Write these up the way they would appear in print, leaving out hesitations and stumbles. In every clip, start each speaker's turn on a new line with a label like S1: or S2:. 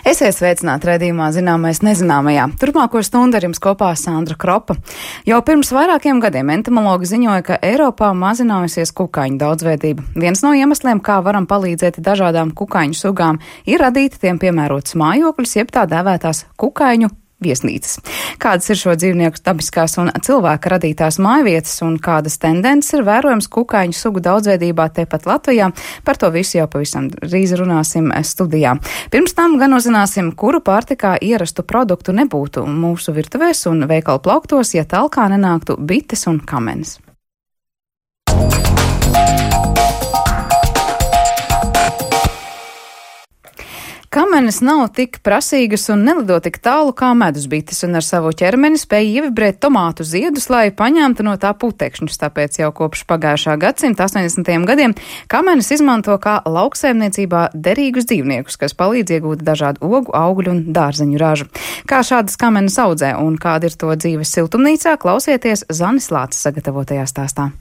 S1: Esiet sveicināti raidījumā Zināmais nezināmajā. Turpmāko stundu ar jums kopā Sandra Kropa. Jau pirms vairākiem gadiem entomologi ziņoja, ka Eiropā mazinājusies kukaiņu daudzveidība. Viens no iemesliem, kā varam palīdzēt dažādām kukaiņu sugām, ir radīt tiem piemērotus mājokļus, jeb tā dēvētās kukaiņu viesnīcas. Kādas ir šo dzīvnieku dabiskās un cilvēka radītās mājvietas un kādas tendences ir vērojams kukaiņu sugu daudzveidībā tepat Latvijā? Par to visu jau pavisam drīz runāsim studijā. Pirms tam gan uzzināsim, kuru pārtikā ierastu produktu nebūtu mūsu virtuvēs un veikalu plauktos, ja talkā nenāktu bites un kamenes. Kamenes nav tik prasīgas un nelido tik tālu kā medusbites, un ar savu ķermeni spēj ievibrēt tomātu ziedus, lai paņemtu no tā putekšņus. Tāpēc jau kopš pagājušā gadsimta 80. gadiem kamenes izmanto kā lauksaimniecībā derīgus dzīvniekus, kas palīdz iegūt dažādu ogu, augļu un dārzeņu ražu. Kā šādas kamenes audzē un kāda ir to dzīves siltumnīcā, klausieties Zanis Lācis sagatavotajā stāstā.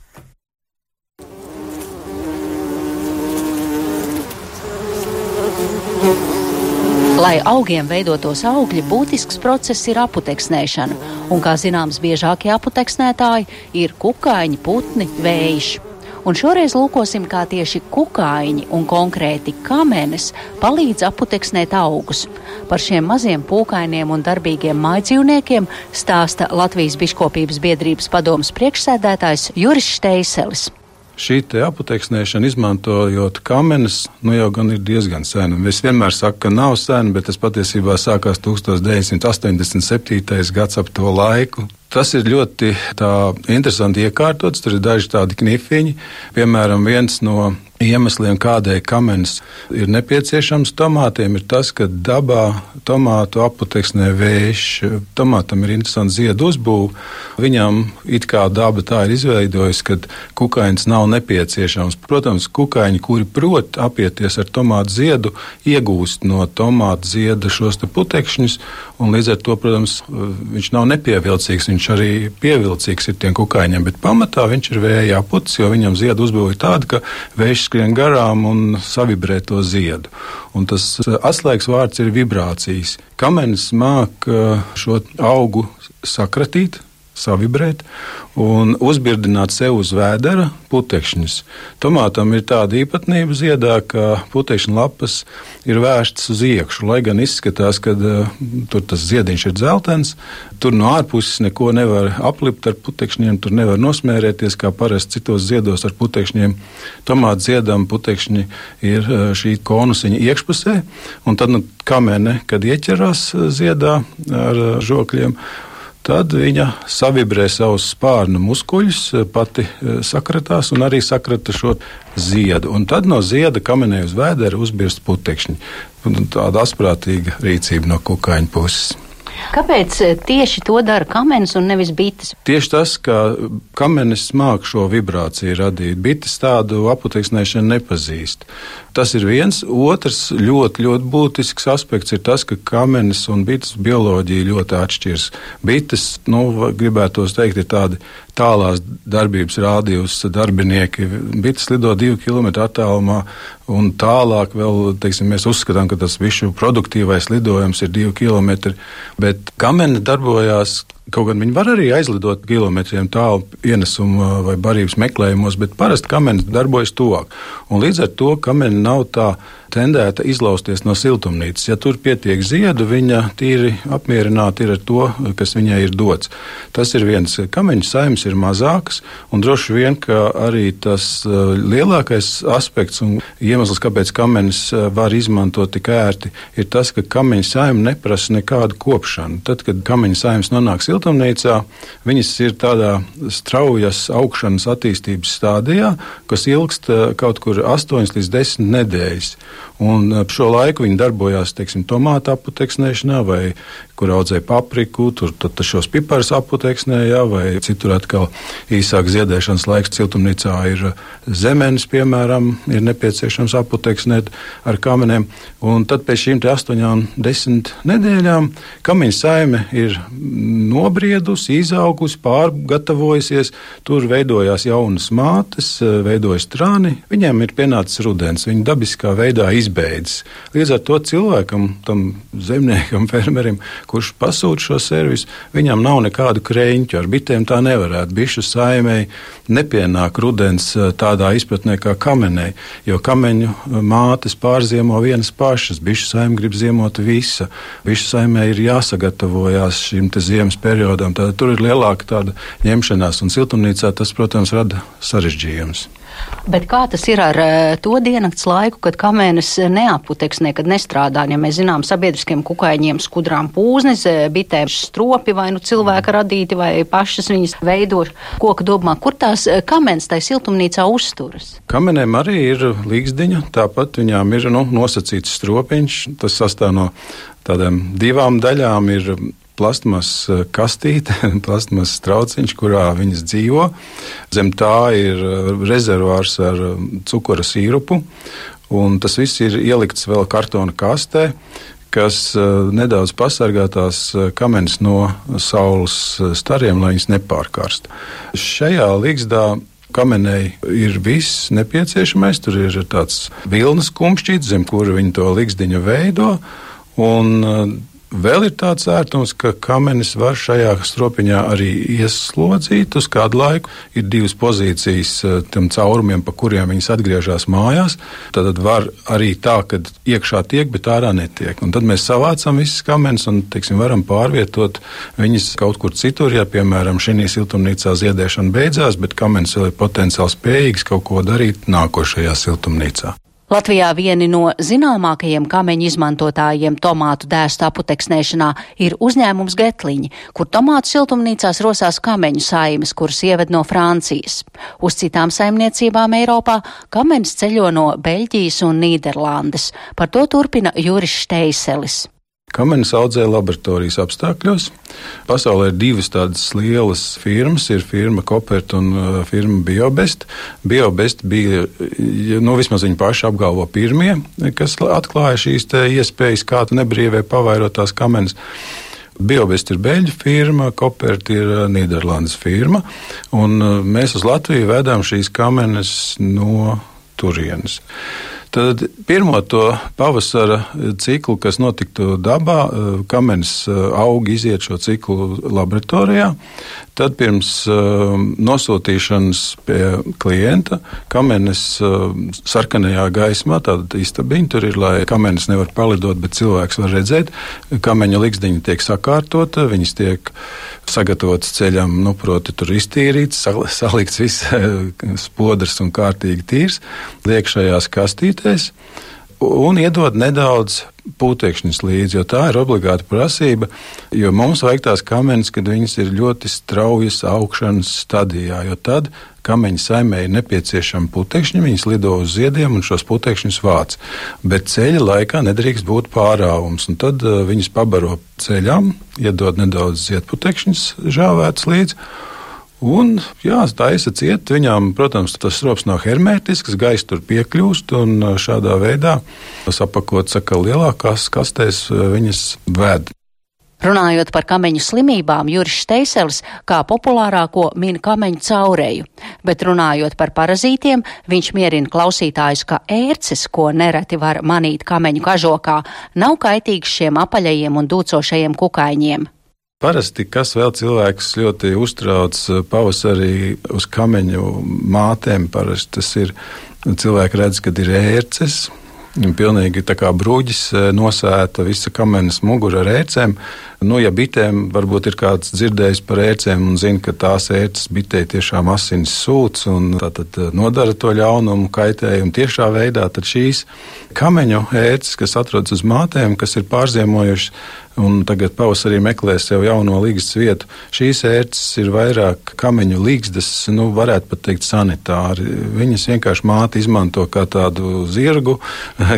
S2: Lai augiem veidotos augļi, būtisks process ir aputeksnēšana, un, kā zināms, biežākie aputeksnētāji ir kukaiņi, putni, vējši. Un šoreiz lūkosim, kā tieši kukaiņi un konkrēti kamenes palīdz aputeksnēt augus. Par šiem maziem pūkainiem un darbīgiem mājdzīvniekiem stāsta Latvijas biškopības biedrības padomes priekšsēdētājs Juris Šteiselis.
S3: Šī te aputeksnēšana, izmantojot kamenes, jau gan ir diezgan sena. Es vienmēr saku, ka nav sena, bet tas patiesībā sākās 1987. gads ap to laiku. Tas ir ļoti interesanti iekārtots, tur ir daži tādi knifiņi. Piemēram, viens no iemesliem, kādēļ kamenes ir nepieciešams tomātiem, ir tas, ka dabā tomātu aputeksnē vējš. Tomātam ir interesanti ziedu uzbūve. Viņam it kā daba tā ir izveidojusi, ka kukaiņas nav nepieciešams. Protams, kukaiņi, kuri prot apieties ar tomātu ziedu, iegūst no tomātu zieda šos te putekšņus, un līdz ar to, protams, viņš nav nepievilcīgs. Viņš arī pievilcīgs ir tiem kukaiņiem, bet pamatā viņš ir vēja aputis, jo viņam ziedu uzbūve ir tāda, ka vējš skrien garām un savibrē to ziedu. Un tas atslēgas vārds ir vibrācijas. Kamenes māk šo augu sakratīt, savibrēt un uzbirdināt sev uz vēdera putekšņus. Tomātam ir tāda īpatnība ziedā, ka putekšņa lapas ir vērstas uz iekšu, lai gan izskatās, ka tur tas ziediņš ir dzeltens, tur no ārpuses neko nevar aplipt ar putekšņiem, tur nevar nosmērēties, kā parasti citos ziedos ar putekšņiem. Tomāta ziedam putekšņi ir šī konusiņa iekšpusē, un tad kamene, kad ieķerās ziedā ar žokļiem, tad viņa savibrē savus spārnu muskuļus, pati sakratās un arī sakrata šo ziedu. Un tad no zieda kamenē uz vēdera uzbirst putekšņi. Tāda asprātīga rīcība no kukaiņu puses.
S2: Kāpēc tieši to dara kamenes un nevis bites?
S3: Tieši tas, ka kamenes māk šo vibrāciju radīt. Bites tādu aputeksnēšanu nepazīst. Tas ir viens. Otrs ļoti būtisks aspekts ir tas, ka kamenes un bites bioloģija ļoti atšķiras. Bites, gribētos teikt, ir tādi tālās darbības rādījus darbinieki. Bites lido 2 km attālumā un tālāk vēl, mēs uzskatām, ka tas visu produktīvais lidojums ir 2 km, bet kamene darbojās. Kaut gan viņi var arī aizlidot kilometriem tālu ienesuma vai barības meklējumos, bet parasti kamenes darbojas tuvāk. Un līdz ar to kamene nav tā tendēta izlausties no siltumnīcas. Ja tur pietiek ziedu, viņa tīri apmierināta ir ar to, kas viņai ir dots. Tas ir viens. Kameņu saimes ir mazākas, un droši vien, ka arī tas lielākais aspekts un iemesls, kāpēc kamenes var izmantot tik ērti, ir tas, ka kameņu saime neprasa nekādu kopšanu. Tad, kad kameņu saimes nonāk siltumnīcā, viņas ir tādā straujas augšanas attīstības stādijā, kas ilgst kaut kur 8 līdz 10 nedēļas. Un šo laiku viņi darbojās, tomātu aputeksnēšanā, vai kur audzēja papriku, tur šos piparus aputeksnēja, vai citur atkal īsāk ziedēšanas laiks siltumnīcā ir zemenes, piemēram, ir nepieciešams aputeksnēt ar kamenēm. Un tad pēc šīm 8-10 nedēļām kameņu saime ir nobriedusi, izaugusi, pārgatavojusies, tur veidojās jaunas mātes, veidojas trāni, viņiem ir pienācis rudens, viņi dabiskā veidā izbeidzas. Līdz ar to cilvēkam, tam zemniekam, fermerim, kurš pasūta šo servisu, viņam nav nekādu kreņķu, ar bitēm tā nevarētu. Bišu saimei nepienāk rudens tādā izpratnē kā kamenei, jo kameņu mātes pārziemo vienas pašas, bišu saime grib ziemot visa. Bišu saimē ir jāsagatavojās šim te ziemas periodam, tad tur ir lielāka tāda ņemšanās, un siltumnīcā tas, protams, rada sarežģījumus.
S2: Bet kā tas ir ar to diennakts laiku, kad kamenes neaputeksnē, kad nestrādā? Ja mēs zinām, sabiedriskiem kukaiņiem skudrām pūznes, bitēm stropi vai nu cilvēka radīti vai pašas viņas veido koka dobumā. Kur tās kamenes tai siltumnīcā uzturas?
S3: Kamenēm arī ir līgzdiņa, tāpat viņām ir nosacīts stropiņš. Tas sastāv no tādām divām daļām. Ir plastmas kastīte, plastmas trauciņš, kurā viņas dzīvo. Zem tā ir rezervārs ar cukura sīrupu, un tas viss ir ielikts vēl kartona kastē, kas nedaudz pasargā tās kamenes no saules stariem, lai viņas nepārkarst. Šajā līgzdā kamenei ir viss nepieciešamais, tur ir tāds vilnas kumšķīts, zem kura viņi to līgzdiņu veido, un vēl ir tāds ērtums, ka kamenes var šajā stropiņā arī ieslodzīt uz kādu laiku. Ir divas pozīcijas tam caurumiem, pa kuriem viņas atgriežas mājās. Tad var arī tā, ka iekšā tiek, bet ārā netiek. Un tad mēs savācam visas kamenes un, varam pārvietot viņas kaut kur citur. Ja, piemēram, šī siltumnīcā ziedēšana beidzās, bet kamenes vēl ir potenciāli spējīgas kaut ko darīt nākošajā siltumnīcā.
S2: Latvijā vieni no zināmākajiem kameņu izmantotājiem tomātu dēstu aputeksnēšanā ir uzņēmums Getliņi, kur tomātu siltumnīcās rosās kameņu saimes, kuras ieved no Francijas. Uz citām saimniecībām Eiropā kamenes ceļo no Beļģijas un Nīderlandes. Par to turpina Juris Šteiselis.
S3: Kamenes audzē laboratorijas apstākļos. Pasaulē ir divas tādas lielas firmas, ir firma Kopert un firma Biobest. Biobest bija, vismaz viņi paši apgalvo pirmie, kas atklāja šīs te iespējas, kā nebrīvē pavairot tās kamenes. Biobest ir beļģu firma, Kopert ir Nīderlandes firma, un mēs uz Latviju vedām šīs kamenes no turienes. Tad pirmo to pavasara ciklu, kas notiktu dabā, kamenes aug iziet šo ciklu laboratorijā. Tad pirms nosūtīšanas pie klienta kamenes sarkanajā gaismā, tāda istabiņa tur ir, lai kamenes nevar palidot, bet cilvēks var redzēt. Kameņa ligzdiņa tiek sakārtota, viņas tiek sagatavotas ceļam, proti tur iztīrīts, salikts viss spodrs un kārtīgi tīrs, liek šajās kastītēs un iedod nedaudz putekšņus līdzi, jo tā ir obligāta prasība, jo mums vajag tās kamenes, kad viņas ir ļoti straujas augšanas stadijā, jo tad kameņa saimē ir nepieciešama putekšņi, viņas lido uz ziediem un šos putekšņus vāc. Bet ceļa laikā nedrīkst būt pārāvums, un tad viņas pabaro ceļām, iedod nedaudz ziedputekšņus žāvēts līdzi, un, taisa ciet, viņām, protams, tas strops nav hermētisks, gaisa tur piekļūst, un šādā veidā sapakot, lielākās kastēs viņas ved.
S2: Runājot par kameņu slimībām, Juris Šteiselis kā populārāko min kameņu caureju, bet runājot par parazītiem, viņš mierina klausītājus, ka ērces, ko nereti var manīt kameņu kažokā, nav kaitīgs šiem apaļajiem un dūcošajiem kukaiņiem.
S3: Parasti, kas vēl cilvēks ļoti uztrauc pavasarī uz kameņu mātēm, parasti tas ir, cilvēki redz, kad ir ērces, pilnīgi tā kā bruģis nosēta visa kamenes mugura ar ērcēm. Ja bitēm varbūt ir kāds dzirdējis par ērcēm un zina, ka tās ērces bitei tiešām asinis sūc un tātad nodara to ļaunumu, kaitējumu tiešā veidā, tad šīs kameņu ērces, kas atrodas uz mātēm, kas ir pārziemojušas un tagad pavasarī meklē sev jauno līgstas vietu, šīs ērces ir vairāk kameņu līgstas, varētu pat teikt sanitāri. Viņas vienkārši māte izmanto kā tādu zirgu,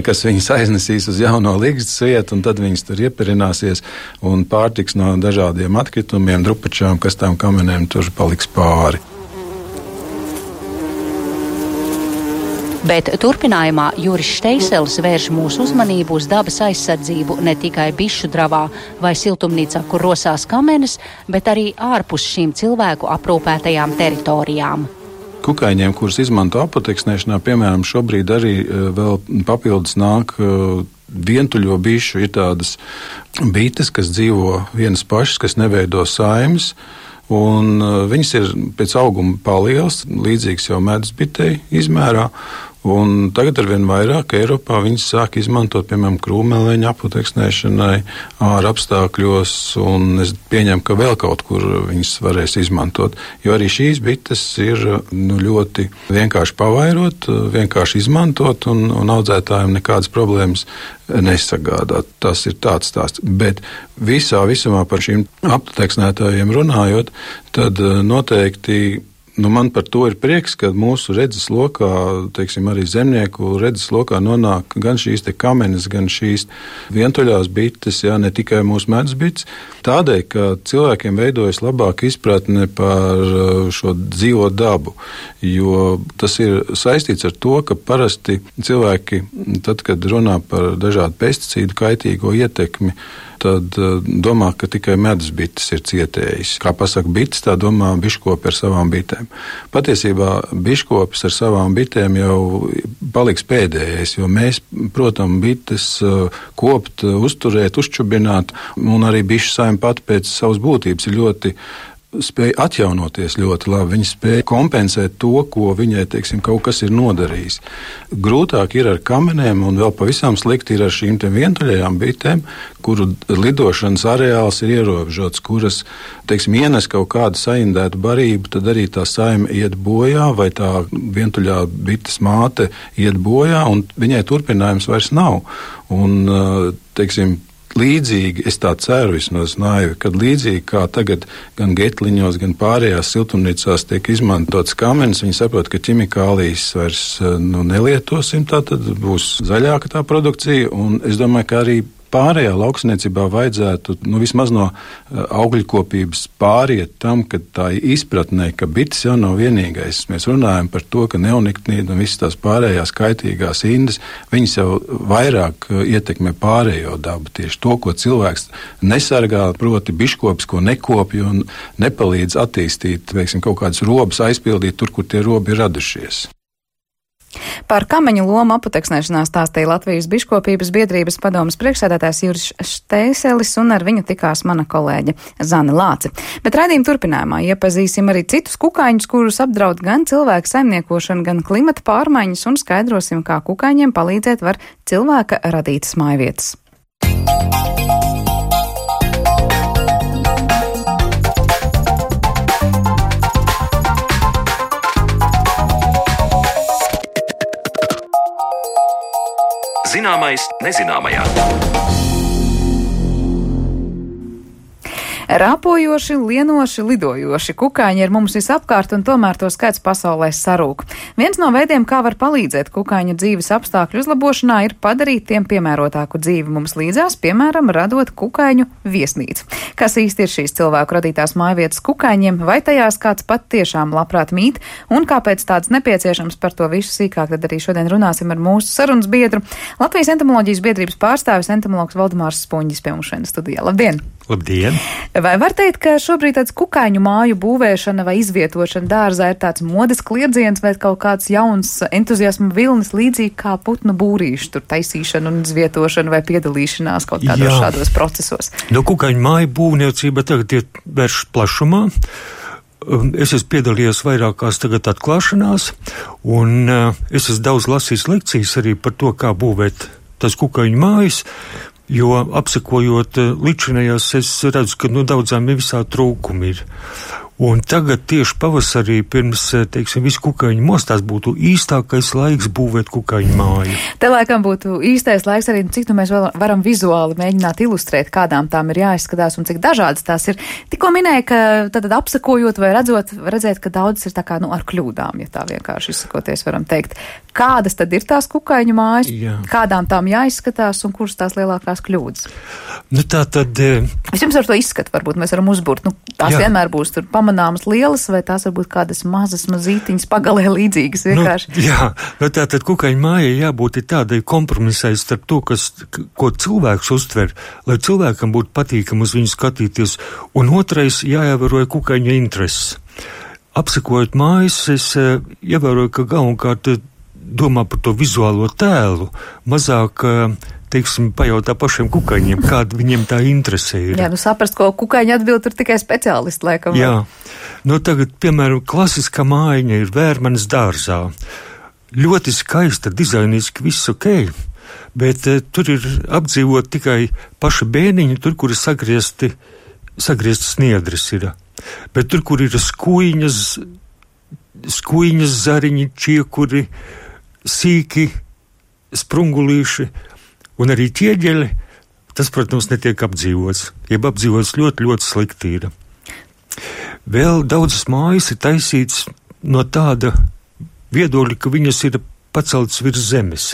S3: kas viņas aiznesīs uz jauno līgstas vietu, un tad viņas tur ieperināsies un pārtiks no dažādiem atkritumiem, drupačām, kas tām kamenēm tur paliks pāri.
S2: Bet turpinājumā Juris Šteiselis vērš mūsu uzmanību uz dabas aizsardzību ne tikai bišu dravā vai siltumnīcā, kur rosās kamenes, bet arī ārpus šīm cilvēku aprūpētajām teritorijām.
S3: Kukaiņiem, kurus izmanto apoteksnēšanā, piemēram, šobrīd arī vēl papildus nāk vientuļo bišu. Ir tādas bites, kas dzīvo vienas pašas, kas neveido saimes, un viņas ir pēc auguma palielas, līdzīgas jau medus bitei izmērā. Un tagad arvien vairāk Eiropā viņas sāk izmantot, piemēram, krūmeleņu apoteksnēšanai, ārā apstākļos, un es pieņemu, ka vēl kaut kur viņas varēs izmantot. Jo arī šīs bites ir ļoti vienkārši pavairot, vienkārši izmantot, un audzētājiem nekādas problēmas nesagādāt. Tas ir tāds stāsts. Bet visumā par šīm apoteksnētājiem runājot, tad noteikti man par to ir prieks, ka mūsu redzes lokā, teiksim, arī zemnieku redzes lokā nonāk gan šīs te kamenes, gan šīs vientuļās bites, ne tikai mūsu medus bites. Tādēļ, ka cilvēkiem veidojas labāka izpratne par šo dzīvo dabu, jo tas ir saistīts ar to, ka parasti cilvēki, tad, kad runā par dažādu pesticīdu kaitīgo ietekmi, tad domā, ka tikai medus bites ir cietējis. Kā pasaka bites, tā domā biškopi ar savām bitēm. Patiesībā biškopis ar savām bitēm jau paliks pēdējais, jo mēs, protams, bites kopt, uzturēt, uzčubināt, un arī bišu saime pat pēc savas būtības ir ļoti spēja atjaunoties ļoti labi. Viņa spēja kompensēt to, ko viņai, teiksim, kaut kas ir nodarījis. Grūtāk ir ar kamenēm, un vēl pavisam slikti ir ar šīm te vientuļajām bitēm, kuru lidošanas areāls ir ierobežots, kuras, teiksim, ienes kaut kādu saindētu barību, tad arī tā saime iet bojā, vai tā vientuļā bites māte iet bojā, un viņai turpinājums vairs nav. Un, teiksim, līdzīgi, es tā ceru vismaz naivi, kad līdzīgi kā tagad gan getliņos, gan pārējās siltumnīcās tiek izmantotas kamenes, viņi saprot, ka ķimikālijas vairs nelietosim, tā tad būs zaļāka tā produkcija, un es domāju, ka arī pārējā lauksniecībā vajadzētu vismaz no augļkopības pāriet tam, ka tā izpratnē, ka bites jau nav vienīgais. Mēs runājam par to, ka neonikotinoīdi un visas tās pārējās kaitīgās indes, viņas jau vairāk ietekmē pārējo dabu. Tieši to, ko cilvēks nesargā, proti biškopis, ko nekopja un nepalīdz attīstīt, veiksim, kaut kādas robas aizpildīt tur, kur tie robi ir radušies.
S1: Par kameņu lomu apoteksnēšanā stāstīja Latvijas biškopības biedrības padomes priekšsēdētājs Juris Šteiselis, un ar viņu tikās mana kolēģe Zane Lāce. Bet raidījuma turpinājumā iepazīsim arī citus kukaiņus, kurus apdraud gan cilvēku saimniekošana, gan klimata pārmaiņas, un skaidrosim, kā kukaiņiem palīdzēt var cilvēka radītas mājvietas.
S4: Zināmais nezināmajā.
S1: Rāpojoši, lienoši, lidojoši kukaiņi ir mums visapkārt, un tomēr to skaits pasaulē sarūk. Viens no veidiem, kā var palīdzēt kukaiņu dzīves apstākļu uzlabošanā, ir padarīt tiem piemērotāku dzīvi mums līdzās, piemēram, radot kukaiņu viesnīcu. Kas īsti ir šīs cilvēku radītās mājvietas kukaiņiem, vai tajās kāds pat tiešām labprāt mīt, un kāpēc tāds nepieciešams, par to visu sīkāk tad arī šodien runāsim ar mūsu sarunas biedru. Latvijas entomoloģijas biedrības pārstāvis entomologs Valdemārs Spunģis pie mums šodien studijā. Labdien!
S5: Labdien!
S1: Vai var teikt, ka šobrīd tāds kukaiņu māju būvēšana vai izvietošana dārzā ir tāds modes kliedziens vai kaut kāds jauns entuziasma vilnis, līdzīgi kā putnu būrīšu tur taisīšana un izvietošana vai piedalīšanās kaut kādos šādos procesos?
S5: Kukaiņu māju būvniecība tagad ir vērš plašumā. Es esmu piedalījies vairākās tagad atklāšanās, un es esmu daudz lasījis lekcijas arī par to, kā būvēt tas kukaiņu mājas. Jo apsekojot līdzinājās, es redzu, ka daudzām visā trūkumi ir. Un tagad tieši pavasarī pirms, teiksim, visu kukaiņu mostās būtu īstākais laiks būvēt kukaiņu māju.
S1: Te laikam būtu īstais laiks arī, cik mēs varam vizuāli mēģināt ilustrēt, kādām tām ir jāizskatās un cik dažādas tās ir. Tikko minēja, ka tad apsakojot vai redzēt, ka daudzas ir tā kā ar kļūdām, ja tā vienkārši izsakoties varam teikt. Kādas tad ir tās kukaiņu mājas, kādām tām jāizskatās un kuras tās lielākās kļūdas?
S5: Nu, tā tad...
S1: Vispirms ar to izskatu varbūt mēs varam uzbūrt. Nu, tās vienmēr būs tur pamanāmas lielas, vai tās varbūt kādas mazītiņas pagalē līdzīgas vienkārši.
S5: Nu tā tad kukaiņu mājai jābūt tādai kompromisai starp to, ko cilvēks uztver, lai cilvēkam būtu patīkam uz viņu skatīties, un otrais jāievēroja kukaiņa intereses. Apsekojot mājas, es ievēroju, ka galvenokārt domā par to vizuālo tēlu, mazāk... teiksim, pajautā pašiem kukaiņiem, kāda viņiem tā interese ir.
S1: Jā, saprast, ko kukaiņi atbild, tur tikai speciālisti, laikam.
S5: Jā, tagad, piemēram, klasiskā mājiņa ir Vērmanes dārzā. Ļoti skaista, dizainiski, viss ok, bet tur ir apdzīvot tikai paša bēniņa, tur, kur ir sagrieztas sniedres ir. Bet tur, kur ir skuiņas zariņi, čiekuri, sīki, sprungulīši, un arī ķieģeļi, tas, protams, netiek apdzīvots. Jeb apdzīvots ļoti, ļoti slikti ir. Vēl daudzas mājas ir taisītas no tāda viedokļa, ka viņas ir paceltas virs zemes.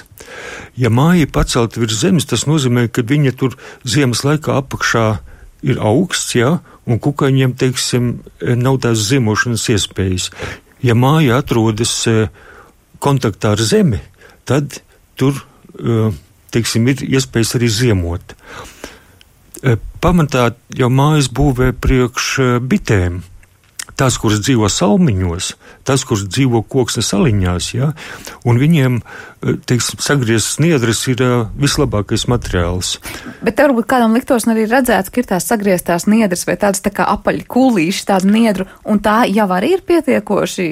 S5: Ja māja ir pacelta virs zemes, tas nozīmē, ka viņa tur ziemas laikā apakšā ir augsts, un kukaiņiem, teiksim, nav tās ziemošanas iespējas. Ja māja atrodas kontaktā ar zemi, tad tur teiksim, ir iespējas arī ziemot. Pamatā jau mājas būvē priekš bitēm. Tās, kuras dzīvo salmiņos, tās, kuras dzīvo koksnes aliņās, un viņiem, teiksim, sagrieztas sniedres ir vislabākais materiāls.
S1: Bet te varbūt kādam liktos arī redzēts, ka ir tās sagrieztās sniedres vai tādas tā kā apaļi kūlīši, tāda niedru, un tā jau arī ir pietiekoši,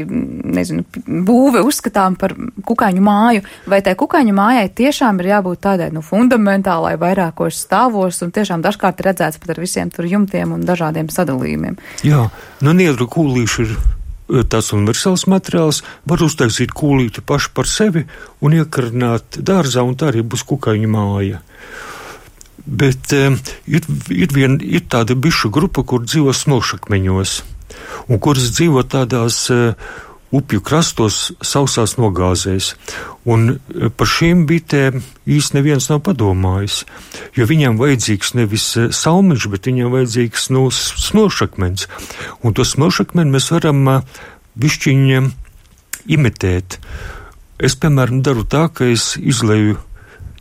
S1: būve uzskatām par kukaiņu māju, vai tai kukaiņu mājai tiešām ir jābūt tādai, fundamentālai vairākos stāvos, un tiešām dažkārt ir redzēts pat ar visiem tur jumtiem un dažādiem sadalījumiem.
S5: Jā, niedru kūlīši ir tāds universāls materiāls, var uztaisīt kūlīti paši par sevi un iekarināt dārzā, un tā arī būs kukaiņu māja. Bet ir tāda bišu grupa, kur dzīvo smilšakmeņos, un kuras dzīvo tādās upju krastos, sausās nogāzēs. Un par šīm bitēm īsti neviens nav padomājis, jo viņiem vajadzīgs nevis salmiņš, bet viņiem vajadzīgs smilšakmens. Un to smilšakmeni mēs varam bišķiņiem imitēt. Es, piemēram, daru tā, ka es izleju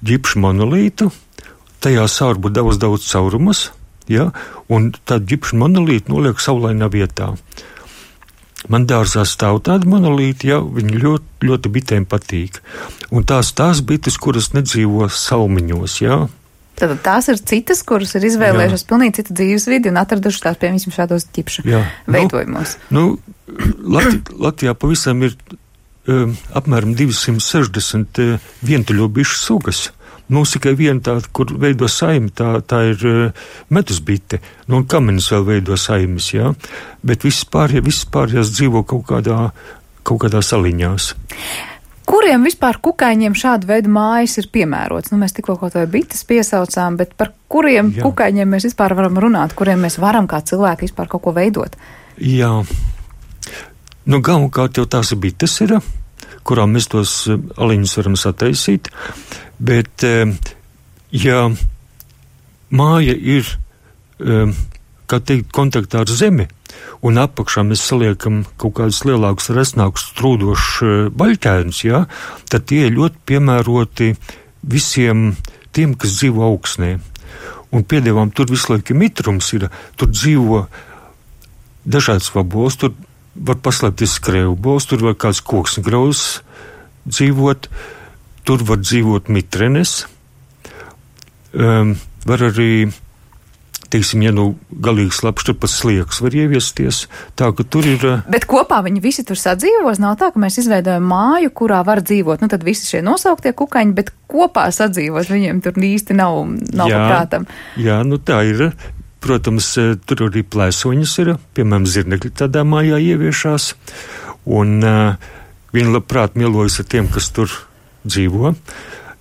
S5: ģipšu monolītu, tajā sārbu daudz caurumas, un tādu ģipšu monolītu noliek saulainā vietā. Man dārzā stāv tāda monolīta, viņi ļoti, ļoti bitēm patīk. Un tās bites, kuras nedzīvo salmiņos,
S1: Tad tās ir citas, kuras ir izvēlējušas pilnīgi citu dzīves vidi un atradušas tās, piemēram, šādos ķipšu veidojumos.
S5: Latvijā pavisam ir apmēram 260 vientuļo bišu sugas. Mums tikai viena tāda, kur veido saimi, tā ir medusbite, un kamenis vēl veido saimes, bet visas pārējās dzīvo kaut kādā saliņās.
S1: Kuriem vispār kukaiņiem šādu veidu mājas ir piemērots? Mēs tikko kaut vai bites piesaucām, bet par kuriem kukaiņiem mēs vispār varam runāt, kuriem mēs varam kā cilvēki vispār kaut ko veidot?
S5: Jā, galvenokārt jau tās bites ir, kurām mēs tos aliņus varam sataisīt. Bet, ja māja ir, kā teikt, kontaktā ar zemi, un apakšā mēs saliekam kaut kādus lielākus, resnākus trūdošus baļķēnus, tad tie ir ļoti piemēroti visiem tiem, kas dzīvo augsnē. Un piedēvām tur visu laiku mitrums ir, tur dzīvo dažādas vabols, tur var paslēpties skrējbols, tur var kāds koksnegrauzs dzīvot, tur var dzīvot mitrenes, var arī, teiksim, galīgi slapš, tur pat sliekas var ieviesties, tā ka tur ir...
S1: Bet kopā viņi visi tur sadzīvos, nav tā, ka mēs izveidojam māju, kurā var dzīvot, tad visi šie nosauktie kukaiņi, bet kopā sadzīvot viņiem tur īsti nav paprātam.
S5: Jā, tā ir. Protams, tur arī plēsoņas ir, piemēram, zirnekļi tādā mājā ieviešās, un viņi labprāt mielojas ar tiem, kas tur dzīvo.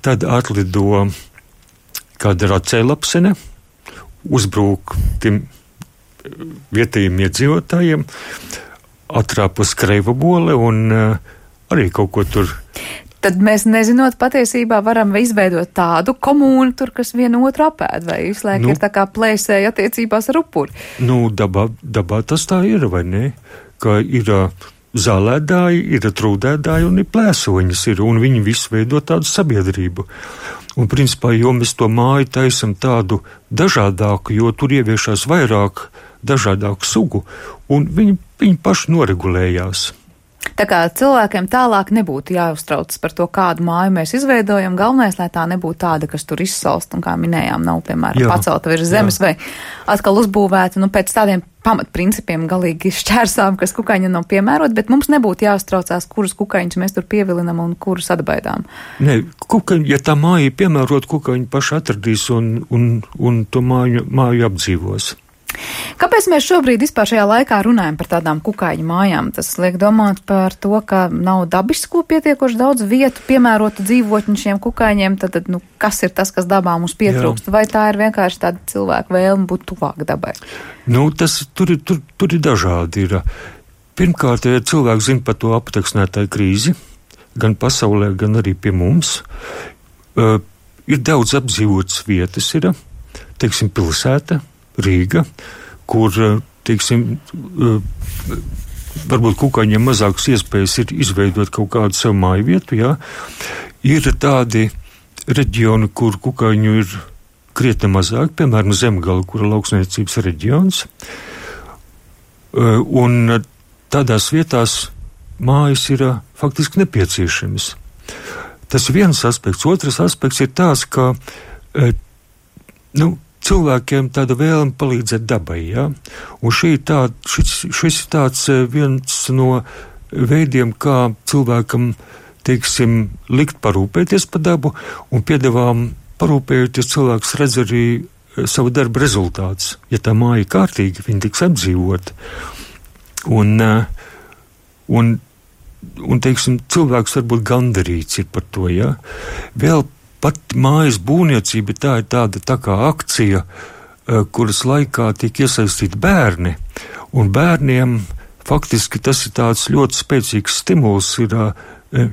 S5: Tad atlido kāda racēlapsene, uzbrūk tiem vietējiem iedzīvotājiem, atrāpa skreivabole un arī kaut ko tur
S1: Tad mēs, nezinot, patiesībā varam izveidot tādu komūnu tur, kas vienu otru apēd, vai visu laiku ir tā kā plēsēja attiecībās ar upuri.
S5: Dabā tas tā ir, vai ne? Ka ir zālēdāji, ir trūdēdāji un ir plēsoņas, un viņi visi veido tādu sabiedrību. Un principā, jo mēs to māju taisam tādu dažādāku, jo tur ieviešās vairāk dažādāku sugu, un viņi paši noregulējās.
S1: Tā kā cilvēkiem tālāk nebūtu jāuztrauc par to, kādu māju mēs izveidojam, galvenais, lai tā nebūtu tāda, kas tur izsalst, un kā minējām, nav, piemēram, pacelta virs zemes vai atkal uzbūvēta, pēc tādiem pamatprincipiem galīgi šķērsām, kas kukaiņam nav piemērot, bet mums nebūtu jāuztraucās, kurus kukaiņus mēs tur pievilinam un kurus atbaidām.
S5: Nē, ja tā māja ir piemērot, kukaiņi paši atradīs un to māju apdzīvos.
S1: Kāpēc mēs šobrīd vispār šajā laikā runājam par tādām kukaiņu mājām? Tas liek domāt par to, ka nav dabisko pietiekoši daudz vietu piemērotu dzīvotņu šiem kukaiņiem, tad kas ir tas, kas dabā mums pietrūkst? Vai tā ir vienkārši tāda cilvēka vēlme būt tuvāk dabai?
S5: Tur ir dažādi. Pirmkārt, ja cilvēki zina par to aputeksnētāju krīzi, gan pasaulē, gan arī pie mums, ir daudz apdzīvotas vietas, teiksim, pilsēta, Rīga, kur, teiksim, varbūt kukaiņiem mazākas iespējas ir izveidot kaut kādu savu māju vietu, Ir tādi reģioni, kur kukaiņu ir krietni mazāk, piemēram, Zemgala, kur ir lauksniecības reģions, un tādās vietās mājas ir faktiski nepieciešamas. Tas ir viens aspekts. Otrs aspekts ir tās, ka, cilvēkiem tāda vēlme palīdzēt dabai, Un šis ir tāds viens no veidiem, kā cilvēkam, teiksim, likt parūpēties par dabu, un piedāvām parūpējoties cilvēks redz arī savu darba rezultātus. Ja tā māja ir kārtīga, viņa tiks apdzīvot. Un teiksim, cilvēks varbūt gandarīts ir par to, Vēl pat mājas būvniecība tā ir tā kā akcija, kuras laikā tiek iesaistīti bērni, un bērniem faktiski tas ir tāds ļoti spēcīgs stimuls ir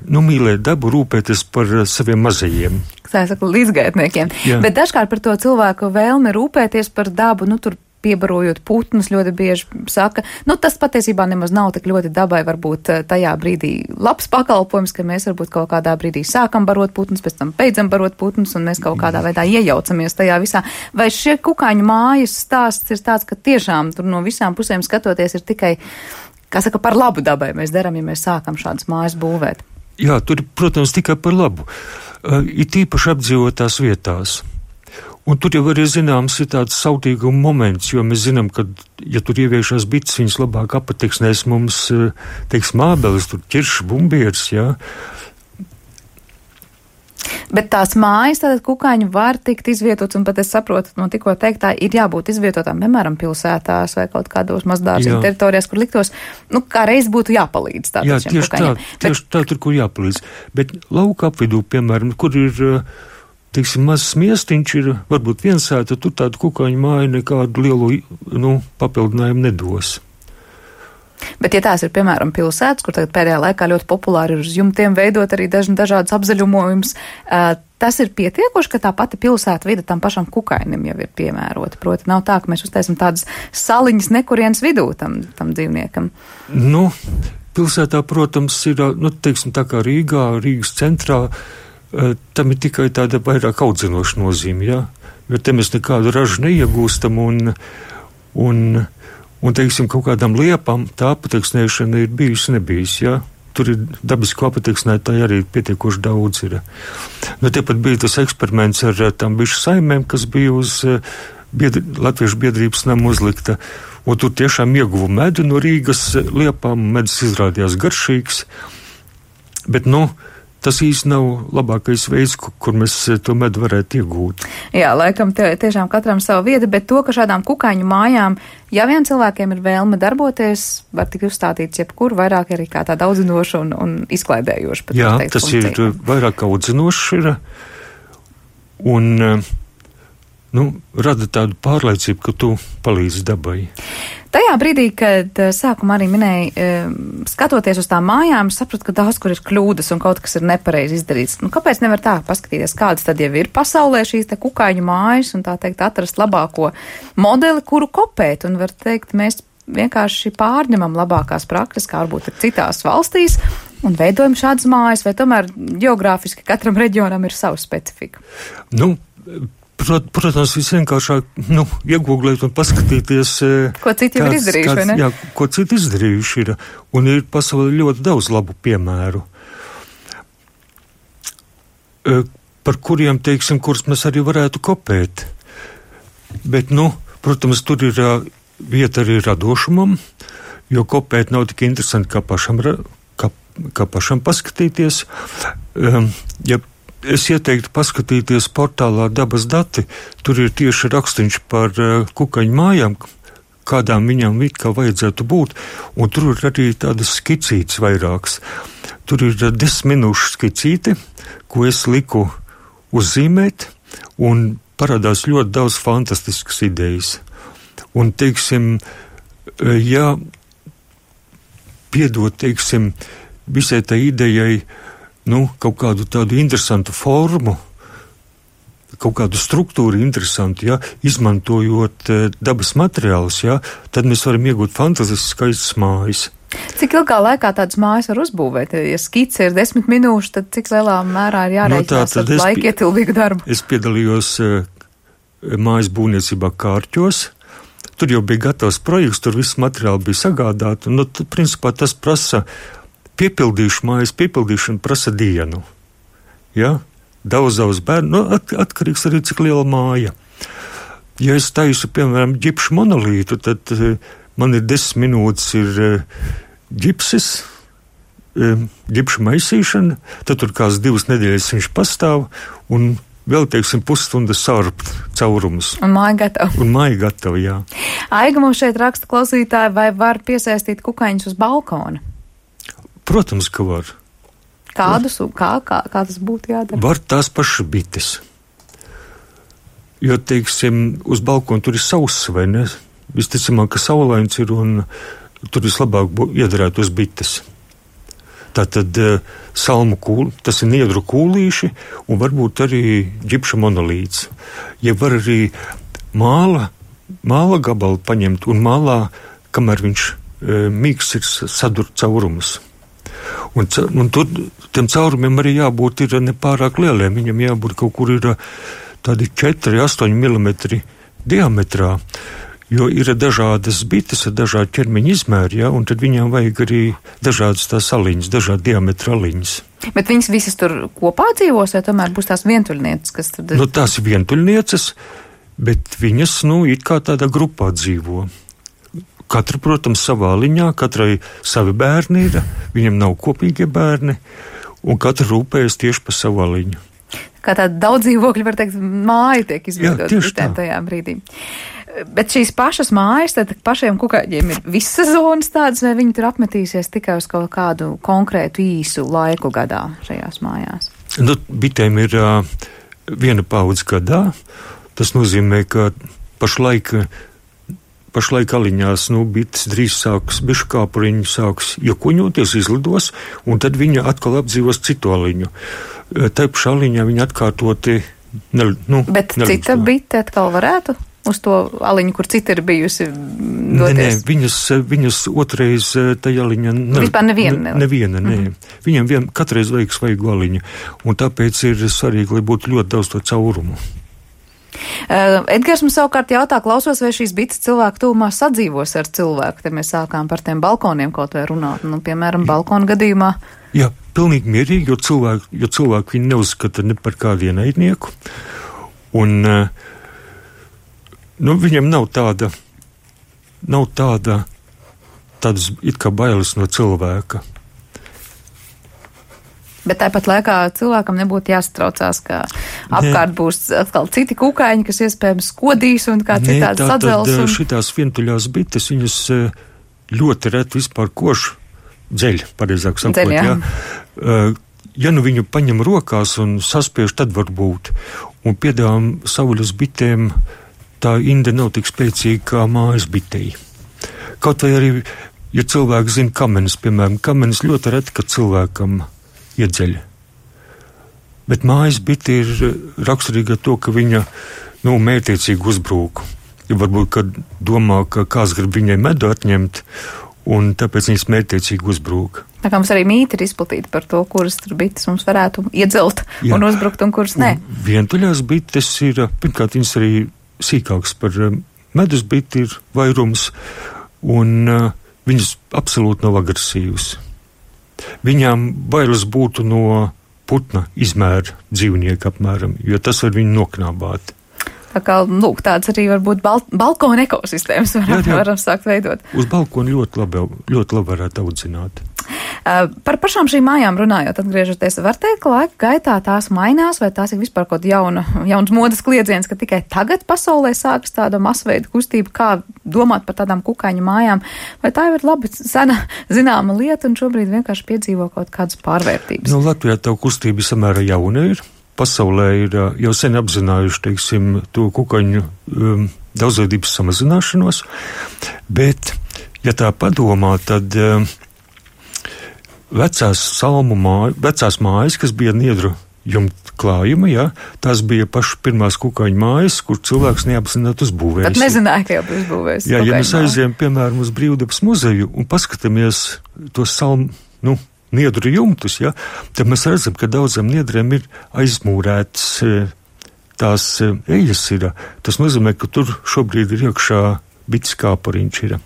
S5: mīlēt dabu, rūpēties par saviem mazajiem.
S1: Tā ir saka līdzgaitniekiem.
S5: Jā.
S1: Bet dažkārt par to cilvēku vēlmi rūpēties par dabu, tur piebarojot putnus, ļoti bieži saka, tas patiesībā nemaz nav tik ļoti dabai, varbūt tajā brīdī labs pakalpojums, ka mēs varbūt kaut kādā brīdī sākam barot putnus, pēc tam beidzam barot putnus, un mēs kaut kādā veidā iejaucamies tajā visā. Vai šie kukaiņu mājas stāsts ir tāds, ka tiešām tur no visām pusēm skatoties ir tikai, par labu dabai mēs darām, ja mēs sākam šādas mājas būvēt?
S5: Jā, tur, protams, tikai par labu. Ir tīpaši apdzīvotās vietās. Un tur jau arī zināms ir tāds sautīguma moments, jo mēs zinām, ka, ja tur ieviešās bites, viņas labāk apateksnēs mums, teiksim, ābeles, tur ķiršs, bumbieris,
S1: Bet tās mājas, tātad kukaiņu var tikt izvietots, un pat es saprotu, no tikko teiktā ir jābūt izvietotām, piemēram, pilsētās vai kaut kādos mazdārziņu teritorijās, kur liktos, kā reiz būtu jāpalīdz tātad šiem kukaiņiem.
S5: Tieši tā, tur, kur jāpalīdz. Bet lauka apvidū, piemēram, kur ir, teiksim, mazs miestiņš ir, varbūt viensēta, tur tādu kukaiņu māju nekādu lielu, papildinājumu nedos.
S1: Bet, ja tās ir, piemēram, pilsētas, kur tagad pēdējā laikā ļoti populāri ir uz jumtiem veidot arī dažādas apzaļumojumus, tas ir pietiekoši, ka tā pati pilsēta vide tam pašam kukainim jau ir piemērota. Proti, nav tā, ka mēs uztaisim tādas saliņas nekurienes vidū tam dzīvniekam.
S5: Pilsētā, protams, ir, teiksim, tā kā Rīgas centrā, tam ir tikai tāda vairāk audzinoša nozīme, jo te mēs nekādu ražu neiegūstam un teiksim, kaut kādām liepām tā apateksnēšana ir bijusi nebijis, Tur ir dabisko apateksnētāji arī pietiekoši daudz ir. Tepat bija tas eksperiments ar tām bišu saimēm, kas bija uz Latviešu biedrības namu uzlikta, un tur tiešām ieguva medu no Rīgas liepām, medus izrādījās garšīgs, bet, tas īsti nav labākais veids, kur mēs to medu varētu iegūt.
S1: Jā, laikam tiešām katram savu vietu, bet to, ka šādām kukaiņu mājām, ja vien cilvēkiem ir vēlme darboties, var tik uzstādīts jebkur, vairāk arī kā tāda audzinoša un izklaidējoša.
S5: Jā, tas funkcija. Ir vairāk audzinoša un rada tādu pārliecību, ka tu palīdzi dabai.
S1: Tajā brīdī, kad sākumā arī minēja, skatoties uz tām mājām, sapratu, ka daudz kur ir kļūdas un kaut kas ir nepareizi izdarīts. Nu, kāpēc nevar tā paskatīties, kādas tad jau ir pasaulē šīs te kukaiņu mājas un tā teikt atrast labāko modeli, kuru kopēt, un var teikt, mēs vienkārši pārņemam labākās prakses, kā varbūt ir citās valstīs, un veidojam šādas mājas, vai tomēr geogrāfiski katram reģionam ir savu specifiku?
S5: Nu, protams, visvienkāršāk iegūglēt un paskatīties,
S1: ko citi ir izdarījuši, vai ne?
S5: Jā, ko citi izdarījuši ir, un ir pasaulē ļoti daudz labu piemēru, par kuriem, teiksim, kurus mēs arī varētu kopēt. Bet, protams, tur ir vieta arī radošumam, jo kopēt nav tik interesanti, kā pašam paskatīties. Ja es ieteiktu paskatīties portālā Dabas dati, tur ir tieši rakstīns par kukaiņu mājām, kādām viņām it kā vajadzētu būt, un tur ir arī tādas skicītes vairākas. Tur ir 10 minūšu skicīte, ko es liku uzzīmēt, un parādās ļoti daudz fantastiskas idejas. Un, teiksim, ja piedot, teiksim, visai tai idejai, kaut kādu tādu interesantu formu, kaut kādu struktūru interesantu, izmantojot dabas materiālus, tad mēs varam iegūt fantastiskas skaistas mājas.
S1: Cik ilgā laikā tādas mājas var uzbūvēt? Ja skice ir 10 minūšu, tad cik lielā mērā ir jārēķinās ar laikietilvīgu darbu?
S5: Es piedalījos mājas būvniecībā Kārķos. Tur jau bija gatavs projekts, tur viss materiāli bija sagādāti. Principā tas prasa mājas piepildīšana prasa dienu. Ja? Daudz bērnu, atkarīgs arī cik liela māja. Ja es taisu, piemēram, ģipšu monolītu, tad man ir 10 minūtes ir ģipsis, ģipšu maisīšana, tad tur kāds 2 nedēļas viņš pastāv, un vēl, teiksim, pusstunda sārpt caurumus.
S1: Un māja
S5: gatava, jā.
S1: Aiga mums šeit raksta klausītāji, vai var piesaistīt kukaiņus uz balkona?
S5: Protams, ka var.
S1: Kādus, kā tas būtu jādara?
S5: Var tās pašas bites. Jo, teiksim, uz balkona tur ir sauss, vai ne? Visticamāk, ka saulains ir, un tur vislabāk iedarētu uz bites. Tātad salmu kūli, tas ir niedru kūlīši, un varbūt arī ģipša monolīts. Ja var arī māla gabalu paņemt, un mālā, kamēr viņš mīgs ir sadur caurumus. Un tur tiem caurumiem arī jābūt ir nepārāk lieliem, viņam jābūt kaut kur ir tādi 4-8 mm diametrā, jo ir dažādas bites ar dažādu ķermeņa izmēru, un tad viņām vajag arī dažādas tās aliņas, dažādi diametra aliņas.
S1: Bet viņas visas tur kopā dzīvos, vai tomēr būs tās vientuļnieces, kas tad...
S5: Tās ir vientuļnieces, bet viņas, it kā tādā grupā dzīvo. Katra, protams, savā liņā, katrai savi bērni ir, viņam nav kopīgie bērni, un katra rūpējas tieši par savu liņu.
S1: Kā tāda daudz dzīvokļu, var teikt, māja tiek izveidota tajā brīdī. Bet šīs pašas mājas, tad pašiem kukaiņiem ir visas zonas tādas, vai viņi tur apmetīsies tikai uz kaut kādu konkrētu īsu laiku gadā šajās mājās?
S5: Bitēm ir viena paudze gadā. Tas nozīmē, ka pašlaik aliņās, bites drīz sāks, bišu kāpuriņi sāks iekoņoties, izlidos, un tad viņa atkal apdzīvos citu aliņu. Tā pašā aliņā viņa atkārtoti
S1: Bet cita bite atkal varētu uz to aliņu, kur cita ir bijusi doties?
S5: Nē, viņas otrais tajā aliņā...
S1: Vispār neviena?
S5: Nē. Viņam katreiz vajag svaigu aliņu, un tāpēc ir svarīgi, lai būtu ļoti daudz to caurumu.
S1: Edgars mums savukārt jautā, klausos, vai šīs bites cilvēku tuvumā sadzīvos ar cilvēku. Te mēs sākām par tiem balkoniem kaut vai runāt. Piemēram, balkona gadījumā.
S5: Jā, pilnīgi mierīgi, jo cilvēki viņi neuzskata ne par kādu ienaidnieku. Un viņam nav tādas it kā bailes no cilvēka.
S1: Bet tāpat laikā cilvēkam nebūtu jāsatraucās, ka apkārt būs atkal citi kukaiņi, kas iespējams skodīs un kā citādi sadzels.
S5: Tātad šitās vientuļās bites, viņas ļoti reti vispār košu dzeļ, pareizāk sakot. Ja viņu paņem rokās un saspiež, tad var būt. Un piedāvām sauļas bitēm tā inde nav tik spēcīga kā mājas bitei. Kaut vai arī, ja cilvēki zina kamenis, piemēram, kamenis ļoti reti, ka cilvēkam iedzeļ. Bet mājas bite ir raksturīga to, ka viņa, mērķiecīgi uzbrūk. Ja varbūt, kad domā, ka kāds grib viņai medu atņemt, un tāpēc viņas mērķiecīgi uzbrūk.
S1: Tā kā mums arī mīti ir izplatīti par to, kuras tur bites mums varētu iedzelt un uzbrukt, un kuras nē.
S5: Vientuļās bites ir, pirmkārt, viņas arī sīkāks par medus biti ir vairums, un viņas absolūti nav agresīvas. Viņām bailes būtu no putna izmēra dzīvnieka apmēram, jo tas var viņu noknābāt.
S1: Tā kā, tāds arī var būt balkona ekosistēmas varam sākt veidot.
S5: Uz balkona ļoti labi varētu audzināt.
S1: Par pašām šīm mājām runājot, atgriežoties, var teikt, ka laika gaitā tās mainās, vai tās ir vispār kaut jauns modes kliedziens, ka tikai tagad pasaulē sākas tāda masveida kustība, kā domāt par tādām kukaiņu mājām, vai tā ir labi sena zināma lieta un šobrīd vienkārši piedzīvo kaut kādas pārvērtības?
S5: Latvijā tā kustība samērā jauna ir. Pasaulē ir jau sen apzinājuši, teiksim, to kukaiņu daudzveidības samazināšanos, bet, ja tā padomā, tad vecās mājas, kas bija niedru jumta klājuma, tās bija pašas pirmās kukaiņu mājas, kur cilvēks neapzināti uzbūvējis.
S1: Tad nezināja, ka jau bija uzbūvējis.
S5: Ja mēs aizējam, piemēram, uz Brīvdabas muzeju un paskatāmies tos niedru jumtus, tad mēs redzam, ka daudziem niedriem ir aizmūrētas tās eļas ir. Tas nozīmē, ka tur šobrīd ir iekšā bites kāpariņš ir.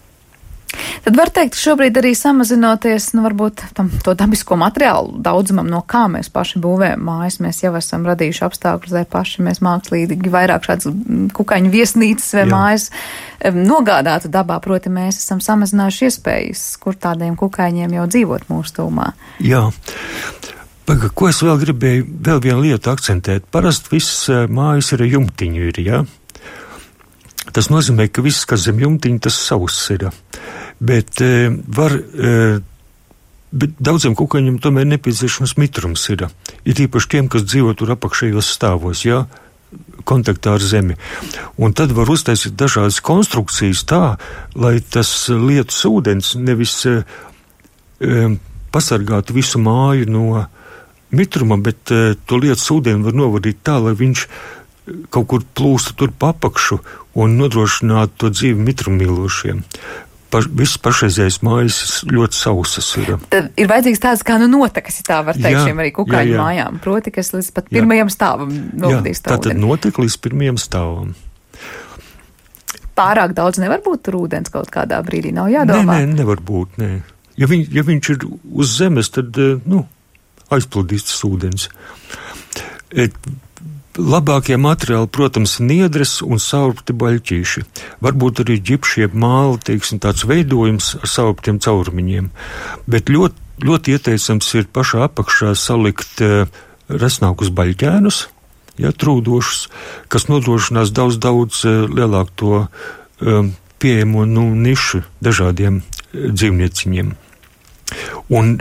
S1: Tad var teikt, šobrīd arī samazinoties, varbūt to dabisko materiālu daudzumam, no kā mēs paši būvējam mājas, mēs jau esam radījuši apstākļus, lai paši mēs mākslīgi vairāk šādas kukaiņu viesnīcas vai mājas nogādātu dabā, proti mēs esam samazinājuši iespējas, kur tādiem kukaiņiem jau dzīvot mūsu tūmā.
S5: Jā. Ko es vēl gribēju, vēl vienu lietu akcentēt. Parasti visas mājas ir jumtiņu ir, Tas nozīmē, ka viss, kas zem jumtiņa, tas savs ir. Bet daudziem kukaiņiem tomēr nepieciešams mitrums ir. Ir īpaši tiem, kas dzīvo tur apakšējos stāvos, kontaktā ar zemi. Un tad var uztaisīt dažādas konstrukcijas tā, lai tas lietus ūdens nevis pasargātu visu māju no mitruma, bet to lietus ūdeni var novadīt tā, lai viņš kaut kur plūsta tur pa apakšu un nodrošinātu to dzīvi mitrumīlošiem. Viss pašreizējais mājas ļoti sausas ir.
S1: Tad ir vajadzīgs tāds kā notekas, ja tā var teikt, šiem arī kukaiņu mājām. Proti, kas līdz pat pirmajam stāvam novadīs tā ūdeni.
S5: Tātad notek līdz pirmajam stāvam.
S1: Pārāk daudz nevar būt tur ūdens kaut kādā brīdī, nav jādomā?
S5: Nē, nevar būt, nē. Ja viņš ir uz zemes, tad, aizplūdīs tas ūdens. Labākie materiāli, protams, niedres un saurpti baļķīši. Varbūt arī ģipšie māli, tāds veidojums ar saurptiem caurumiņiem. Bet ļoti ieteicams ir pašā apakšā salikt resnākus baļķēnus, trūdošus, kas nodrošinās daudz lielāku to pieejamo nišu dažādiem dzīvnieciņiem. Un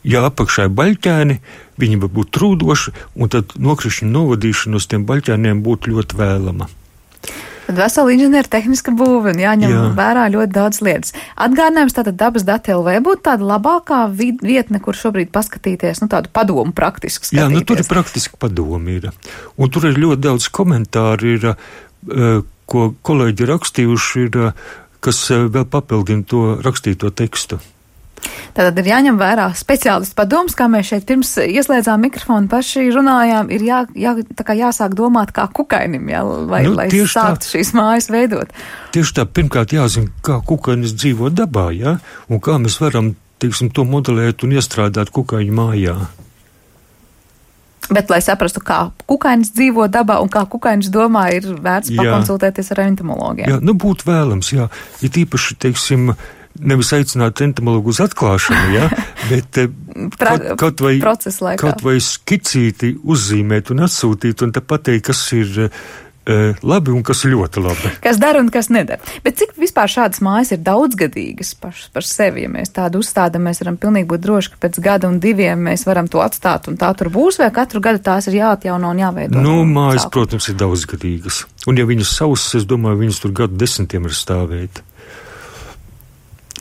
S5: apakšā ir baļķēni, viņi var būt trūdoši, un tad nokrišņu novadīšana uz tiem baļķēniem būtu ļoti vēlama.
S1: Tad vesela inženieru tehniska būve un jāņem vērā ļoti daudz lietas. Atgādinājums tātad dabas dati LV būtu tāda labākā vietne, kur šobrīd paskatīties, tādu padomu praktiski skatīties.
S5: Jā, tur ir praktiski padomi ir. Un tur ir ļoti daudz komentāru ir, ko kolēģi rakstījuši ir, kas vēl papildina to rakstīto tekstu.
S1: Tātad ir jāņem vērā speciālistu padoms, kā mēs šeit pirms ieslēdzām mikrofonu paši runājām, ir jāsāk domāt kā kukainim, lai sāktu šīs mājas veidot.
S5: Tieši tā, pirmkārt jāzina, kā kukainis dzīvo dabā, un kā mēs varam, to modelēt un iestrādāt kukaiņu mājā.
S1: Bet, lai saprastu, kā kukainis dzīvo dabā un kā kukainis domā, ir vērts pakonsultēties ar entomologiem.
S5: Jā, būtu vēlams, ir tīpaši, nevis aicināt entomologu uz atklāšanu, bet kaut vai skicīti uzzīmēt un atsūtīt un te pateikt, kas ir labi un kas ļoti labi.
S1: Kas dara un kas nedara. Bet cik vispār šādas mājas ir daudzgadīgas pašas par sevi? Ja mēs tādu uzstādam, mēs varam pilnīgi būt droši, ka pēc gada un diviem mēs varam to atstāt un tā tur būs, vai katru gadu tās ir jāatjauno un jāveido?
S5: Mājas, protams, ir daudzgadīgas. Un ja viņas sausas, es domāju, viņas tur gadu 10 var stāvēt.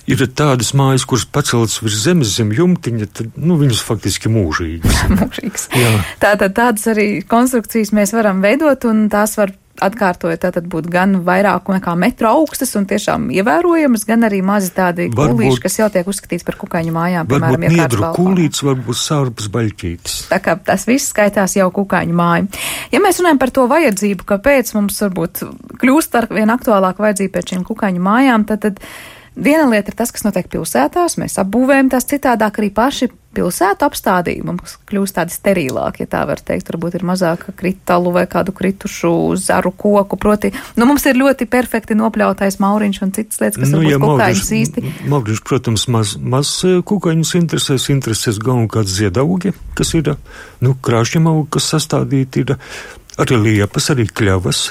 S5: Ir tādas mājas, kuras paceltas virs zemes zem jumtiņa, tad, viņas faktiski mūžīgas.
S1: Mūžīgas. Tātad tādas arī konstrukcijas mēs varam veidot, un tās var atkārtojot, tātad būt gan vairāk nekā metru augstas un tiešām ievērojamas, gan arī mazi tādi kūlīši, kas jau tiek uzskatīts par kukaiņu mājām, piemēram,
S5: varbūt niedru kūlīts, varbūt sārpas baļķītis.
S1: Tā kā tas viss skaitās jau kukaiņu māju. Ja mēs runājam par to vajadzību, kāpēc mums varbūt kļūst ar vien aktuālāk vajadzību pēc šīm kukaiņu mājām, tad viena lieta ir tas, kas notiek pilsētās, mēs apbūvējam tās citādāk, arī paši pilsētu apstādījumi mums kļūst tādi sterilāki, ja tā var teikt, varbūt ir mazāk kritalu vai kādu kritušu zaru koku, proti, mums ir ļoti perfekti nopļautais mauriņš un citas lietas, kas varbūt kukaiņus īsti.
S5: Mauriņš, protams, maz kukaiņus interesēs galvenokārt ziedaugi, kas ir, krāšņamaugi, kas sastādīti ir, arī liepas, arī kļavas.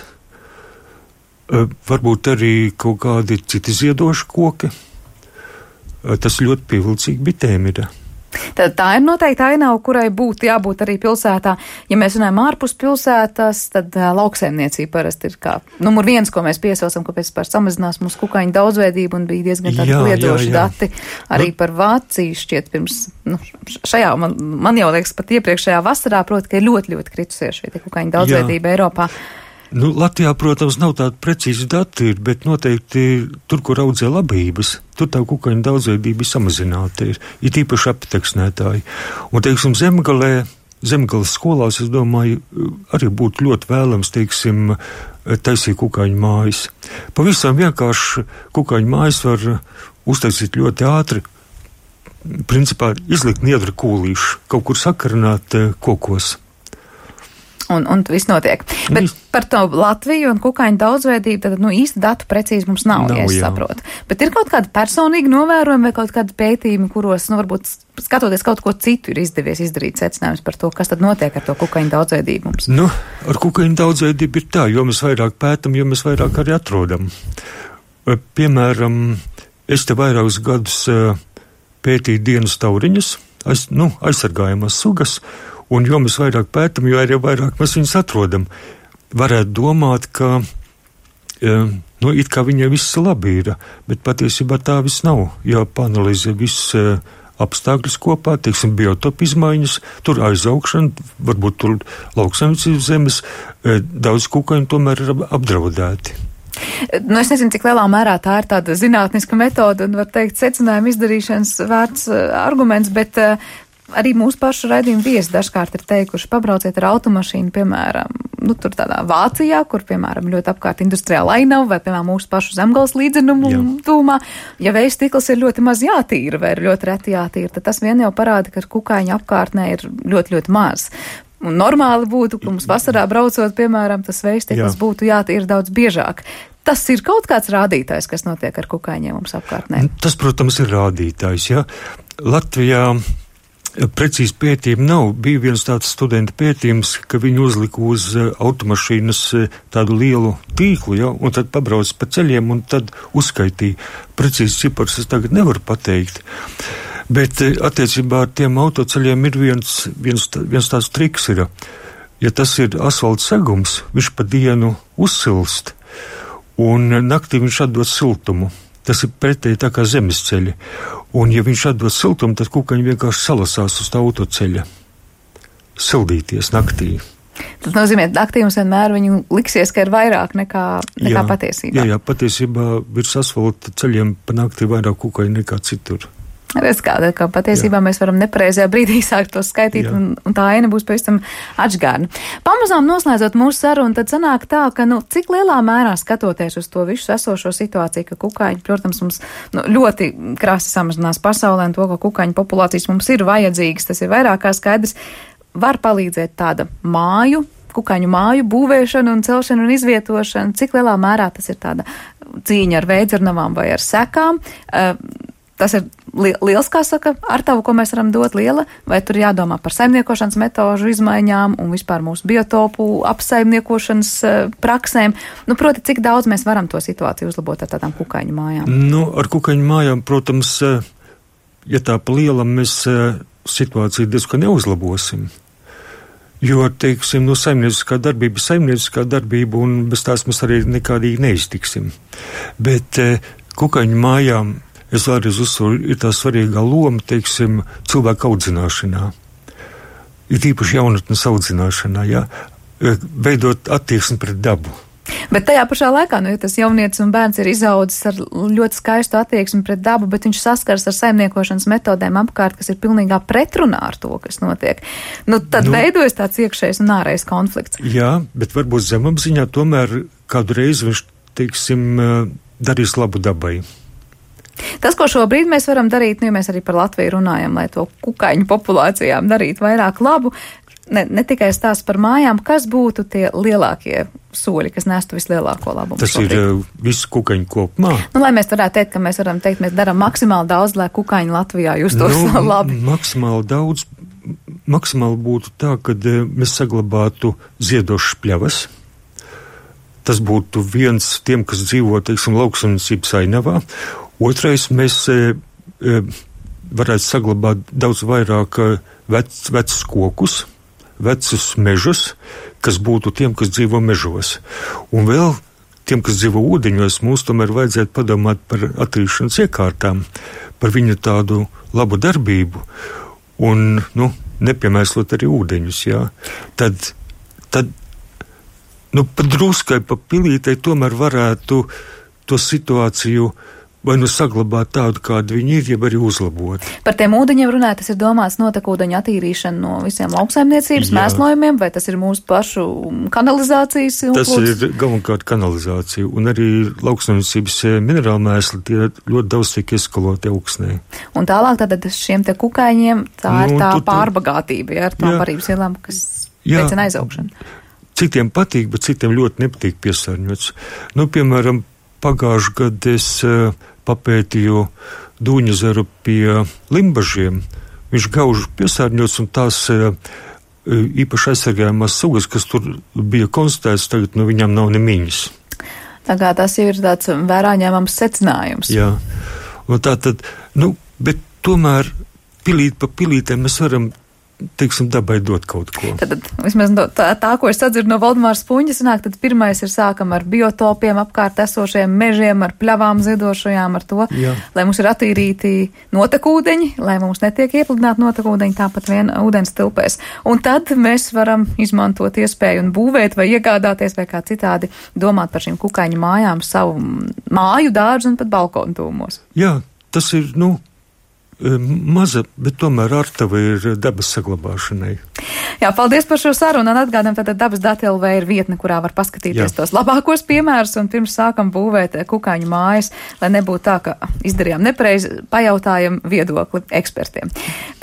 S5: Varbūt arī kaut kādi citi ziedoši koki. Tas ļoti pievilcīgi bitēm ir.
S1: Tad tā ir noteikti ainava, kurai būtu jābūt arī pilsētā. Ja mēs runājam ārpus pilsētas, tad lauksaimniecība parasti ir kā numur 1, ko mēs piesaucam, kāpēc pār samazinās mūsu kukaiņu daudzveidību, un bija diezgan tādi kliedoši dati arī par Vāciju šķiet pirms, šajā, man jau liekas, pat iepriekšējā vasarā, proti, ka ir ļoti, ļoti kritusies šī kukaiņu daudzveidība Eiropā.
S5: Latvijā, protams, nav tāda precīzi dati, bet noteikti tur, kur audzē labības, tur tā kukaiņu daudzveidība samazināta ir īpaši apteksnētāji. Un, teiksim, Zemgales skolās, es domāju, arī būtu ļoti vēlams, teiksim, taisīt kukaiņu mājas. Pavisam vienkārši kukaiņu mājas var uztaisīt ļoti ātri, principā izlikt niedra kūlīšu, kaut kur sakarināt kokos.
S1: Un viss notiek. Bet par to Latviju un kukaiņu daudzveidību, tad īsti datu precīzi mums nav, ja es saprotu. Bet ir kaut kādi personīgi novērojumi vai kaut kādi pētījumi, kuros, varbūt skatoties kaut ko citu, ir izdevies izdarīt secinājums par to, kas tad notiek ar to kukaiņu daudzveidību mums?
S5: Ar kukaiņu daudzveidību ir tā, jo mēs vairāk pētam, jo mēs vairāk arī atrodam. Piemēram, es te vairākus gadus pētīju dienas tauriņas, aizsargājamās sugas, un jo mēs vairāk pētam, jo arī vairāk mēs viņus atrodam. Varētu domāt, ka it kā viņai viss labi ir, bet patiesībā tā viss nav. Jāpanalizē viss apstākļus kopā, teiksim, biotopu izmaiņas, tur aizaugšana, varbūt tur lauksaimniecības zemes, daudz kukaiņu tomēr ir apdraudēti.
S1: Es nezinu, cik lielā mērā tā ir tāda zinātniska metode un, var teikt, secinājuma izdarīšanas vērts arguments, bet arī mūsu pašu raidījumu viesi dažkārt ir teikuši, pabrauciet ar automašīnu, piemēram, tur tādā Vācijā, kur, piemēram, ļoti apkārt industriāla ainava, vai, piemēram, mūsu pašu Zemgales līdzenumu tūmā. Ja vēja stikls ir ļoti maz jātīra vai ir ļoti reti jātīra, tad tas vien jau parāda, ka kukaiņa apkārtnē ir ļoti, ļoti maz. Un normāli būtu, ka mums vasarā braucot, piemēram, tas vēja stikls būtu jātīra daudz biežāk. Tas ir kaut kāds rādītājs, kas notiek ar kukaiņiem mums apkārtnē.
S5: Tas, protams, ir rādītājs, ja. Latvijā precīzi pētījumi nav. Bija viens tāds studenta pētījums, ka viņi uzlika uz automašīnas tādu lielu tīklu, un tad pabrauc pa ceļiem un tad uzskaitīja. Precīzi cipars es tagad nevaru pateikt. Bet attiecībā ar tiem autoceļiem ir viens tāds triks ir. Ja tas ir asfalta segums, viņš pa dienu uzsilst un naktī viņš atdod siltumu. Tas ir pretēji tā kā zemes ceļi. Un, ja viņš atdod siltumu, tad kukaiņi vienkārši salasās uz tā autoceļa. Sildīties naktī.
S1: Tas nozīmē, ka naktī mums vienmēr viņu liksies, ka ir vairāk nekā patiesībā.
S5: Jā, patiesībā virs asfalta ceļiem pa naktī vairāk kukaiņi nekā citur.
S1: Redz, kā patiesībā mēs varam nepareizajā brīdī sākt to skaitīt, un tā aina būs pavisam atžgārna. Pamazām noslēdzot mūsu sarunu, tad sanāk tā, ka, cik lielā mērā skatoties uz to visu esošo situāciju, ka kukaiņi, protams, mums ļoti krasi samazinās pasaulē, un to, ka kukaiņu populācijas mums ir vajadzīgas, tas ir vairāk kā skaidrs, var palīdzēt tāda kukaiņu māju būvēšana un celšana un izvietošana, cik lielā mērā tas ir tāda cīņa ar veidzarnavām vai ar sekām. Tas ir liels, kā saka, ar tavu, ko mēs varam dot liela, vai tur jādomā par saimniekošanas metožu izmaiņām un vispār mūsu biotopu apsaimniekošanas praksēm. Proti, cik daudz mēs varam to situāciju uzlabot ar tādām kukaiņu mājām?
S5: Ar kukaiņu mājām, protams, ja tā pa lielam mēs situāciju diezgan neuzlabosim. Jo, teiksim, saimnieciskā darbība, un bez tās mēs arī nekādīgi neiztiksim. Bet kukaiņu mājām es vēlreiz uzsveru, ir tā svarīgā loma, teiksim, cilvēku audzināšanā. Ir īpaši jaunatnes audzināšanā, ja? Veidot attieksmi pret dabu.
S1: Bet tajā pašā laikā, ja tas jaunietis un bērns ir izaudzis ar ļoti skaistu attieksmi pret dabu, bet viņš saskars ar saimniekošanas metodēm apkārt, kas ir pilnīgā pretrunā ar to, kas notiek, tad veidojas tāds iekšējs un ārējs konflikts.
S5: Jā, bet varbūt zemapziņā tomēr kādu reizi viņš, teiksim, darīs labu dabai.
S1: Tas, ko šobrīd mēs varam darīt, ja mēs arī par Latviju runājam, lai to kukaiņu populācijām darītu vairāk labu, ne tikai stāsts par mājām, kas būtu tie lielākie soļi, kas nestu vislielāko labumu.
S5: Tas šobrīd ir visu kukaiņu kopumā.
S1: Lai mēs varētu teikt, ka mēs varam teikt, mēs darām maksimāli daudz, lai kukaiņi Latvijā justos labi.
S5: Maksimāli daudz, maksimāli būtu tā, kad mēs saglabātu ziedošas pļavas. Tas būtu viens tiem, kas dzīvo, teiksim, lauksaimniecības ainavā. Otrais, mēs varētu saglabāt daudz vairāk vecus kokus, vecus mežus, kas būtu tiem, kas dzīvo mežos. Un vēl tiem, kas dzīvo ūdeņos, mums tomēr vajadzētu padomāt par attīrīšanas iekārtām, par viņu tādu labu darbību un, nepiemēslot arī ūdeņus, jā. Tad pa druskai, pa pilītei tomēr varētu to situāciju vai saglabāt tādu, kādu viņi ir, jeb arī uzlabot. Par
S1: tiem ūdeņiem runāt, tas ir domāts notekūdeņu attīrīšana no visiem lauksaimniecības mēslojumiem, vai tas ir mūsu pašu kanalizācijas?
S5: Tas ir galvenokārt kanalizācija, un arī lauksaimniecības minerālu mēsli tie ļoti daudz tiek eskaloti augsnē.
S1: Un tālāk tātad šiem te kukaiņiem tā ir tā pārbagātība, ar tām barības vielām, kas veicina aizaugšanu.
S5: Citiem patīk, bet citiem ļoti nepatīk piesārņots. Piemēram, pagājušajā gadā es papētīju Dūņezeru pie Limbažiem. Viņš gauži piesārņots, un tās īpaši aizsargājumās sugas, kas tur bija konstatēts, tagad viņām nav nemiņas.
S1: Tā kā tas jau ir tāds vērā ņēmams secinājums.
S5: Jā, un tā tad, bet tomēr pilīt pa pilītēm mēs varam, teiksim, dabai dot kaut ko.
S1: Tad vismaz tā, ko es sadzirdu no Valdemāra Spunģa, sanāk, tad pirmais ir sākam ar biotopiem, apkārt esošajiem mežiem, ar pļavām ziedošajām, ar to, lai mums ir attīrīti notekūdeņi, lai mums netiek iepludināti notekūdeņi, tāpat vien ūdens tilpēs. Un tad mēs varam izmantot iespēju un būvēt vai iegādāties vai kā citādi domāt par šīm kukaiņu mājām savu māju, dārzu un pat balkonu tūmos.
S5: Jā, tas ir, maza, bet tomēr ārtava ir dabas saglabāšanai.
S1: Jā, paldies par šo sarunu, un atgādām, tātad Dabas dati LV ir vietne, kurā var paskatīties tos labākos piemērus, un pirms sākam būvēt kukaiņu mājas, lai nebūtu tā, ka izdarījām nepareizi, pajautājam viedokli ekspertiem.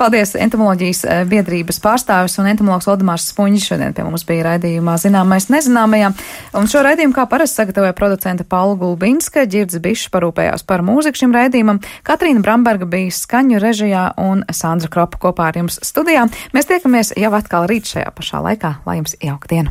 S1: Paldies entomoloģijas biedrības pārstāvis un entomologs Valdemārs Spunģis šodien pie mums bija raidījumā Zināmais nezināmajā, un šo raidījumu kā parasti sagatavoja producente Paula Gulbinska, Ģirds Bišs parūpējās par mūziku šim raidījumam, Katrīna Bramberga bija skaņu režijā un Sandra Kropa kopā ar jums studijā. Mēs tiekamies jau atkal rīt šajā pašā laikā. Lai jums jauka diena!